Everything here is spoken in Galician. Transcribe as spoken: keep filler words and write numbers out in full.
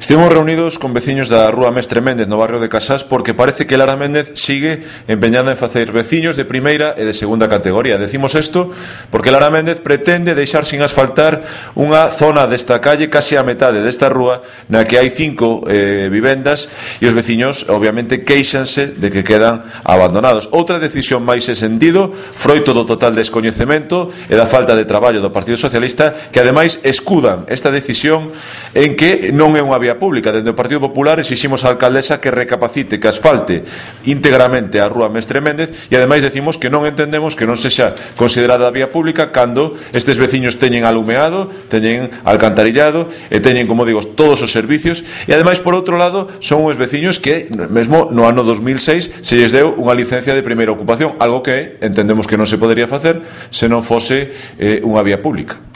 Estivemos reunidos con veciños da Rúa Mestre Méndez no barrio de Casás porque parece que Lara Méndez sigue empeñada en facer veciños de primeira e de segunda categoría. Decimos isto porque Lara Méndez pretende deixar sin asfaltar unha zona desta calle, case a metade desta rúa, na que hai cinco eh, vivendas e os veciños obviamente queixanse de que quedan abandonados. Outra decisión máis ese sentido, froito do total descoñecemento e da falta de traballo do Partido Socialista, que ademais escudan esta decisión en que non é unha vía pública. Dende o Partido Popular exiximos á alcaldesa que recapacite, que asfalte íntegramente a Rúa Mestre Méndez, e ademais decimos que non entendemos que non sexa considerada vía pública cando estes veciños teñen alumeado, teñen alcantarillado e teñen, como digo, todos os servicios, e ademais, por outro lado, son uns veciños que mesmo no ano dos mil seis se lles deu unha licencia de primeira ocupación, algo que entendemos que non se podería facer se non fose eh, unha vía pública.